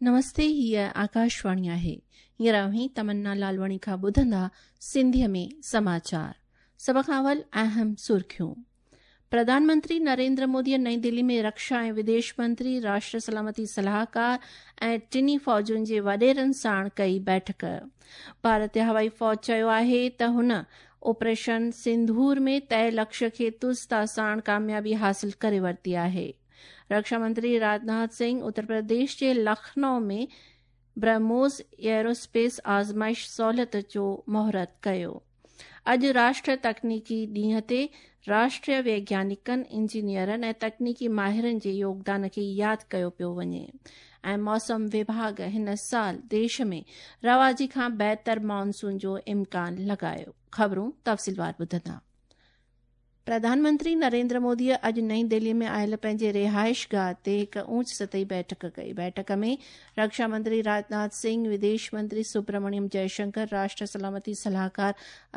نمستي هيء آڪاشواڻي آهي. هينئر اوهين تمنا لالواڻي کان ٻڌندا سنڌيء ۾ سماچار. سڀ کان اول اهم سرخيون. پرڌان منتري نريندر موديء نئين دهلي ۾ رڪشا ۽ وديش منتري، راشٽر سلامتي صلاحڪار ۽ ٽنهي فوجن جي وڏيرن ساڻ ڪئي بيٺڪ. ڀارتي هوائي فوج چيو آهي ته هن آپريشن سنڌور ۾ طئي لڪشيه کي تزتا ساڻ ڪاميابي حاصل ڪري ورتي آهي. رڪشا منتري راجناٿ سنگهه اتر پرديش جي لکنؤ ۾ برهموس ايئروسپيس آزمائش سهولت جو مهورت ڪيو. اڄ راشٽر تڪنيڪي ڏينهن تي راشٽريه ويگيانڪن، انجنيئرن ۽ تڪنيڪي ماهرن جي يوگدان کي ياد ڪيو پيو وڃي ۽ موسم وڀاڳ هن سال ديش ۾ رواجي کان بهتر مانسون جو امڪان لڳايو. خبرون تفصيلوار ٻڌندا. پرڌان منتري نريندر موديء اڄ نئين دهلي ۾ آيل پنهنجي رهائشگاهه تي هڪ اوچ سطحي بيٺڪ ڪئي. بيٺڪ ۾ رڪشا منتري راجناٿ سنگهه، وديش منتري سبرامڻيم جئشنڪر، راشٽر سلامتي صلاحڪار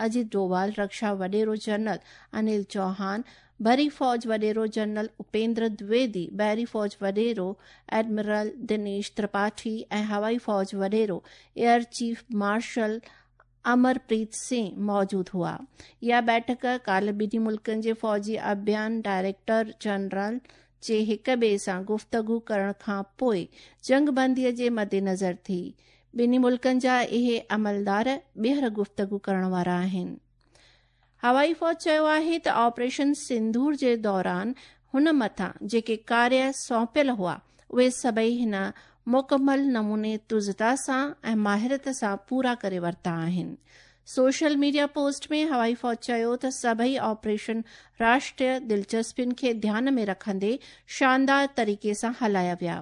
اجيت ڊووال، رڪشا وڏيرو جنرل انيل چوهان، بري فوج وڏيرو جنرل اپيندر دويدي، بحري فوج وڏيرو ايڊمرل دنيش ترپاٺي ۽ هوائي فوج وڏيرو air chief marshal Amarpreet Singh موجود هئا. اها بيٺڪ ڪالهه ٻنهي ملڪن جي فوجي اڀيان ڊائريڪٽر جنرل جي هڪ ٻئي سان گفتگو ڪرڻ کان پوء جنگ بندي جي مدنظر ٿي. ٻنهي ملڪن جا اهي عملدار ٻيهر گفتگو ڪرڻ وارا آهن. هوائي فوج چيو آهي ته آپريشن سنڌور جي دوران هن مٿان جيڪي ڪاريه سونپيل هئا اهي سڀئي هن مڪمل نموني تزتا سان ۽ ماهرت سان پورا ڪري ورتا آهن. سوشل ميڊيا پوسٽ ۾ هوائي فوج چيو ته سڀئي آپريشن راشٽريه دلچسپين کي ڌيان ۾ رکندي شاندار طريقي سان هلايا ويا.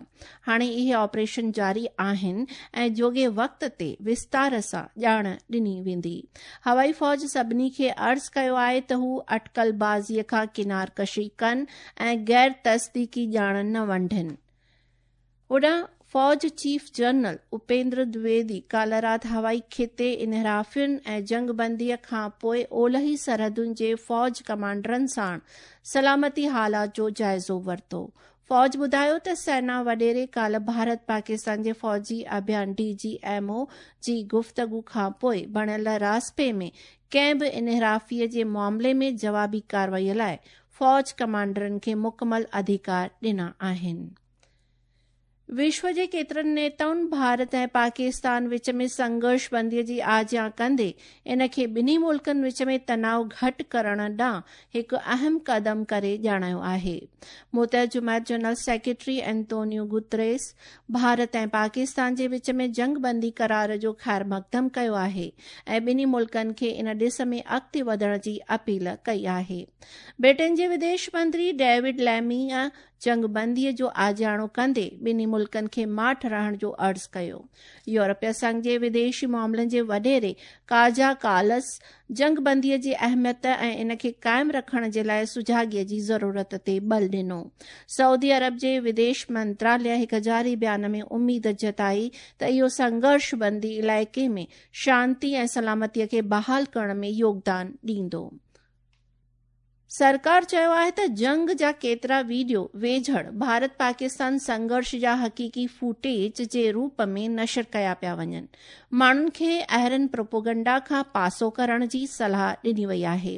هاڻي اهي آپريشن جاري آهن ۽ جوڳي وقت تي وستار سان ڄاڻ ڏني ويندي. هوائي فوج سڀني کي عرض ڪيو آهي ته هو اٽڪل بازيء کان ڪنار ڪشي ڪن ۽ غير تصديقي ڄاڻ نه ونڊين. هوڏانهن فوج چيف جنرل اپيندر دويدي ڪالهه رات هوائي خطي انحرافين ۽ جنگ بندي کان پوء اولهي سرحدن جي فوج ڪمانڊرن ساڻ سلامتي حالات جو جائزو ورتو. فوج ٻڌايو ته سينا وڏيري ڪالهه ڀارت پاڪستان جي فوجي اڀيان ڊي جي ايم او جي گفتگو کان پوء بڻيل راسپي ۾ ڪنهن به انحرافي جي معاملي ۾ جوابي ڪارروائي لاء فوج ڪمانڊرن کي مڪمل اڌيڪار ڏنا آهن. وشو جي ڪيترن نيتائن ڀارت ۽ پاڪستان وچ ۾ سنگهرش بندي جي آجيان ڪندي ان کي ٻنهي ملڪن وچ ۾ تناء گهٽ ڪرڻ ڏانهن هڪ اهم قدم ڪري ڄاڻايو آهي. متحد جماعت general secretary Antonio Guterres Bharat ۽ Pakistan جي وچ ۾ جنگ بندي قرار جو خيرمقدم ڪيو آهي ۽ ٻنهي ملڪن کي ان ڏس ۾ اڳتي وڌڻ جي اپيل ڪئي آهي. برٽن جي وديش منتري ڊيوڊ ليميء جنگ بندي جو آجياڻو ڪندي ٻنهي ملڪن کي ماٺ رهڻ جو عرض ڪيو. يورپي سنگهه جي وديشي معاملن جي وڏيري ڪاجا ڪالس جنگ بندي جي اهميت ۽ ان کي قائم رکڻ جي لاء سجاڳي جي ضرورت تي ٻل ڏنو. سعودي عرب جي وديش منتراليه هڪ جاري بيان ۾ اميد جتائي ته اهو سنگهرش بندي علائقي ۾ شانتي ۽ سلامتي کي بحال ڪرڻ ۾ يوگدان ڏيندو. سرڪار چيو آهي ته جنگ جا ڪيترا ويڊيو ويجهڙ ڀارت پاڪستان سنگهرش جا حقيقي فوٽيج جي روپ ۾ نشر ڪيا پيا وڃن، ماڻهن کي اهڙن پروپوگنڊا کان پاسو ڪرڻ جي صلاح ڏني وئي آهي.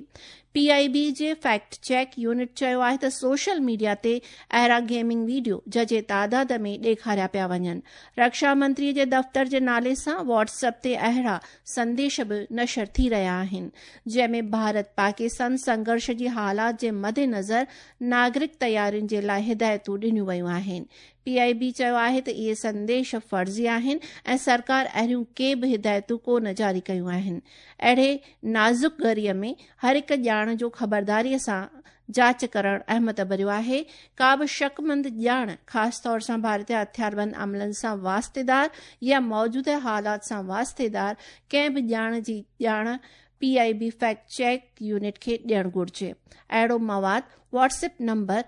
پي آء بي جي فيڪٽ چيڪ يونٽ چيو آهي ته سوشل ميڊيا تي اهڙا گيمنگ ويڊيو ججهي تعداد ۾ ڏيکاريا پيا وڃن، رڪشا منتري جي دفتر جي نالي سان واٽس اپ تي اهڙا سنديش به نشر ٿي رهيا آهن، جنهن ۾ ڀارت پاڪستان سنگهرش جي حالات جي مدنظر ناگرڪ تيارين جي لاء هدايتون ڏنيون ويون آهن. پي آء بي چيو آهي ته اهي سنديش فرضي آهن ۽ سرڪار اهڙيون ڪي به هدايتون ڪو نه جاري ڪيون آهن. اهڙي نازڪ گهڙيء ۾ هر هڪ ڄاڻ جو خبرداريء سان جاچ ڪرڻ اهميت ڀريو آهي. ڪا به شڪمند ڄاڻ، خاص طور سان ڀارتي هٿياربند عملن سان واسطيدار يا موجوده حالات سان واسطيدار ڪنهن به ڄاڻ جي ڄاڻ P I B fact check unit کي ڏيڻ گهرجي. اهڙو مواد Whats app number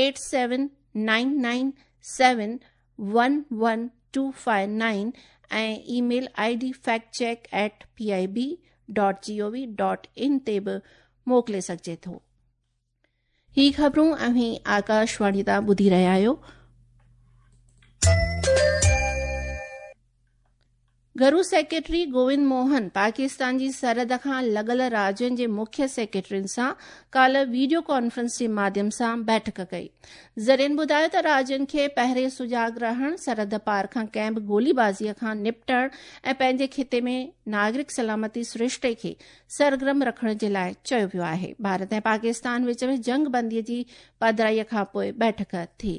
eight seven nine nine seven one one two five nine ۽ email I D fact check at P I B dot G O V dot in تي به موڪلي سگهجي ٿو. هي خبرون اوهين آڪاشواڻي تان ٻڌي رهيا آهيو. گهرو سيڪريٽري گووند موهن پاڪستان جي سرحد کان لڳل راجين جي مکيه سيڪريٽرين سان ڪالهه ويڊيو ڪانفرنس جي ماڌيم سان بيٺڪ ڪئي. ذريعن ٻڌايو ته راجين کي پهرين سجاڳ رهڻ، سرحد پار کان ڪنهن به گولي بازي کان نپٽڻ ۽ پنهنجي خطي ۾ ناگرڪ سلامتي سرشتي کي سرگرم رکڻ جي لاء چيو ويو آهي. ڀارت ۽ پاڪستان وچ ۾ جنگ بندي جي پڌرائي کانپوء بيٺڪ ٿي.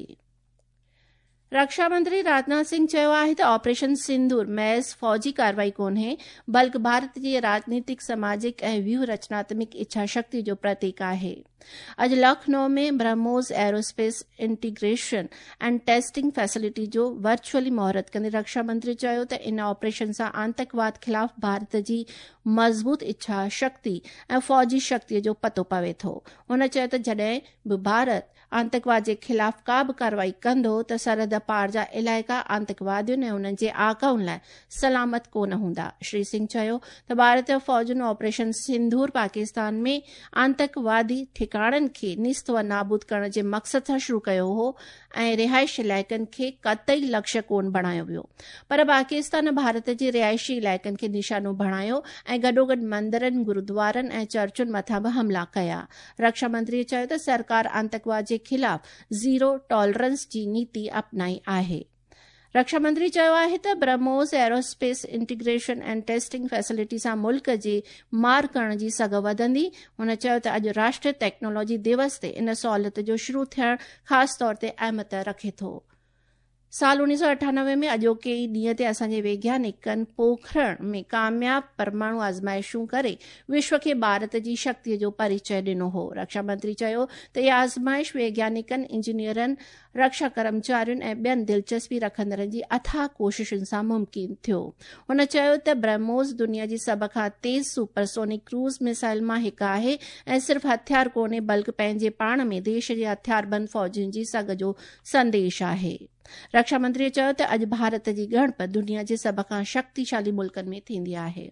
رڪشا منتري راجناٿ سنگهه چيو آهي ته آپريشن سندور محض فوجي ڪارروائي ڪونهي، بلڪ ڀارت جي راڄنيتڪ، سماجڪ ۽ ويوهه رچناتمڪ اڇا شڪتي جو پرتيڪ آهي. اڄ Lucknow ۾ BrahMos aerospace integration and testing facility جو ورچوئلي مهورت ڪندي رڪشا منتري چيو ته ان آپريشن سان آتنڪواد خلاف ڀارت جي مضبوط اڇا شڪتي ۽ فوجي شڪتي جو پتو پوي ٿو. هن چيو ته جڏهن به ڀارت آتنڪواد جي خلاف ڪا به ڪارروائي ڪندو ته سرحد پار جا علائقا آتنڪوادين ۽ انهن جي آقائن لاء سلامت ڪو نه هوندا. شري سنگهه چيو ته ڀارتي فوجن آپريشن سنڌور پاڪستان ۾ آتنڪوادي ٺڪاڻن کي نيست و نابود ڪرڻ جي مقصد سان شروع ڪيو هو ۽ رهائشي علائقن کي قطعي لڪشيه ڪونه بڻايو ويو پر پاڪستان ڀارت جي رهائشي علائقن کي نشانو بڻايو ۽ گڏوگڏ مندرن، گردوارن ۽ چرچن مٿان به حملا ڪيا. رڪشا منتري چيو ته سرڪار آتنڪواد جي خلاف زيرو ٽالرنس جي نيتي اپنائي آهي. رڪشا منتري چيو آهي ته BrahMos aerospace integration and testing facility سان ملڪ جي مار ڪرڻ جي سگهه وڌندي. هن چيو ته اڄ راشٽري ٽيڪنالاجي ديوس تي ان سهولت جو شروع ٿيڻ خاص طور تي اهميت رکي ٿو. سال 1998 ۾ اڄوڪي ئي ڏينهن تي اسان جي ويگيانڪن پوکرڻ ۾ ڪامياب پرماڻو آزمائشون ڪري وشو کي ڀارت جي شڪتي جو پريچئه ڏنو هو. رڪشا منتري چيو ته اها آزمائش ويگيانڪن، انجنيئرن، رڪشا ڪرمچارين ۽ ٻين دلچسپي رکندڙن جي اٿاهه ڪوششن سان ممڪن ٿيو. هن چيو ته برهموس دنيا جي سڀ کان تيز سپر سونڪ ڪروز ميسائل مان هڪ آهي ۽ صرف هٿيار ڪونهي بلڪ پنهنجي پاڻ ۾ ديش جي هٿياربند فوجين جي سگهه جو سنديش آهي. رڪشا منتري چيو ته اڄ ڀارت جي ڳڻپ دنيا جي سڀ کان شڪتيشالي ملڪن ۾ ٿيندي آهي.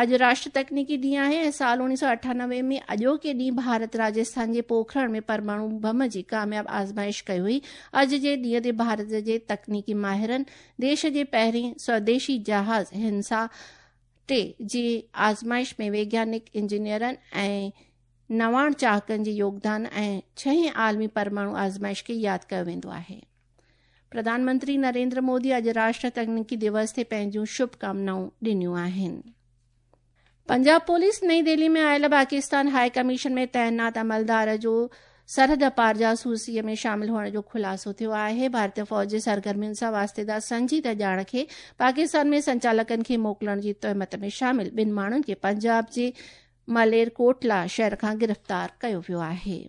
اڄ راشٽر تڪنيڪي ڏينهن آهي ۽ سال 1998 ۾ اڄوڪي ڏينهن ڀارت راجسٿان جي پوکرڻ ۾ پرماڻو بم جي ڪامياب آزمائش ڪئي هئي. اڄ جي ڏينهن تي ڀارت جي تڪنيڪي ماهرن ديش جي پهرين سوديشي جهاز هنسا 3 جي آزمائش ۾ ويگيانڪ، انجنيئرن ۽ نواڻ چاهڪن جي يوگدان ۽ ڇهين عالمي پرماڻو آزمائش کي ياد ڪيو ويندو آهي. پرڌان منتري نريندر مودي اڄ راشٽر تڪنيڪي ديوس تي پنهنجون شڀ ڪامنائون ڏنيون آهن. پنجاب پوليس نئين دهلي ۾ آيل پاڪستان هاء ڪميشن ۾ تعينات عملدار جو سرحد پار جاسوسي ۾ شامل هئڻ جو خلاصو ٿيو آهي. ڀارتي فوج جي سرگرمين سان واسطيدار سنجيده ڄاڻ کي پاڪستان ۾ سنچالڪن کي موڪلڻ جي تهمت ۾ شامل ٻن ماڻهن کي پنجاب جي ملير ڪوٽلا شهر کان گرفتار ڪيو ويو آهي.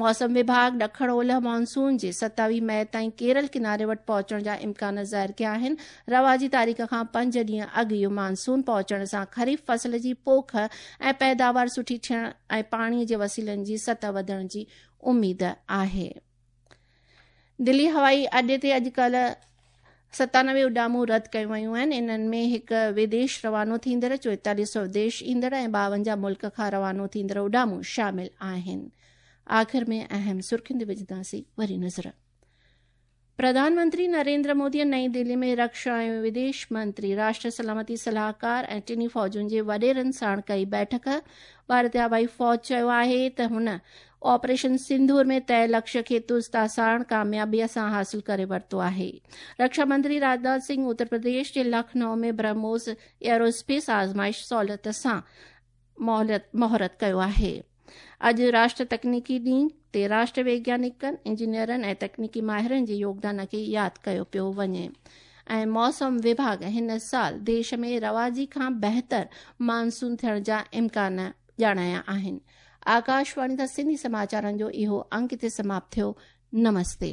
موسم وڀاڳ ڏکڻ اولهه مانسون جي 27 مئي تائين ڪيرل ڪناري وٽ پهچڻ جا امڪان ظاهر ڪيا آهن. رواجي تاريخ کان پنج ڏينهن اڳ اهو مانسون پهچڻ سان خريف فصل جي پوک ۽ پيداوار سٺي ٿيڻ ۽ پاڻي جي وسيلن جي سطح وڌڻ جي اميد آهي. دلي هوائي اڏي تي اڄ ڪالهه 97 اڏامون رد ڪيون ويون آهن. انهن ۾ هڪ وديش روانو ٿيندڙ، 44 سوديش ايندڙ ۽ 52 ملڪ کان روانو ٿيندڙ اڏامون شامل آهن. آخر ۾ اهم سرخين تي وجهنداسين وري نظر. پرڌان منتري نريندر مودي نئين دهلي ۾ رڪشا ۽ وديش منتري، راشٽر سلامتي صلاحڪار ۽ ٽنهي فوجن جي وڏيرن ساڻ ڪئي بيٺڪ. ڀارتي هوائي فوج چيو آهي ته هن آپريشن سنڌور ۾ طئي لڪشيه کي ترستا ساڻ ڪاميابيء سان حاصل ڪري ورتو آهي. رڪشا منتري راجناٿ سنگهه اتر پرديش جي لکنؤ ۾ برهموس ايئروسپيس آزمائش سهولت سان مهورت ڪيو آهي. اڄ راشٽر تڪنيڪي ڏينهن تي راشٽر ويگيانڪن، انجنيئرن ۽ تڪنيڪي ماهرن جي يوگدان کي ياد ڪيو پيو وڃي ۽ موسم وڀاڳ هن سال ديش ۾ رواجي کان بهتر مانسون ٿيڻ جا امڪان ڄاڻايا آهن. آڪاشواڻي تان سنڌي سماچارن جو اهو انڪ هتي سماپت ٿيو. نمستي.